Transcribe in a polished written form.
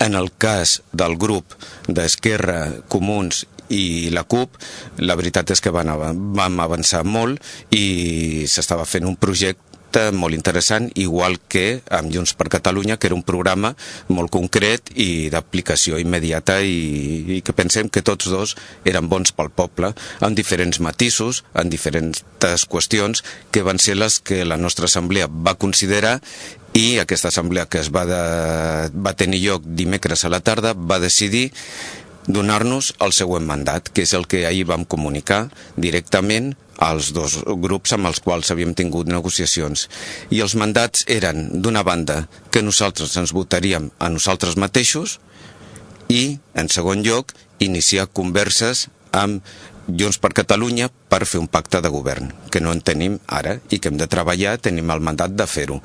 En el cas del grup d'Esquerra, Comuns i la CUP, la veritat és que vam avançar molt i s'estava fent un projecte molt interessant, igual que amb Junts per Catalunya, que era un programa molt concret i d'aplicació immediata i que pensem que tots dos eren bons pel poble, amb diferents matisos, en diferents qüestions, que van ser les que la nostra assemblea va considerar, i aquesta assemblea que va tenir lloc dimecres a la tarda va decidir donar-nos el següent mandat, que és el que ahir vam comunicar directament als dos grups amb els quals havíem tingut negociacions. I els mandats eren, d'una banda, que nosaltres ens votaríem a nosaltres mateixos i, en segon lloc, iniciar converses amb Junts per Catalunya per fer un pacte de govern, que no en tenim ara i que hem de treballar, tenim el mandat de fer-ho.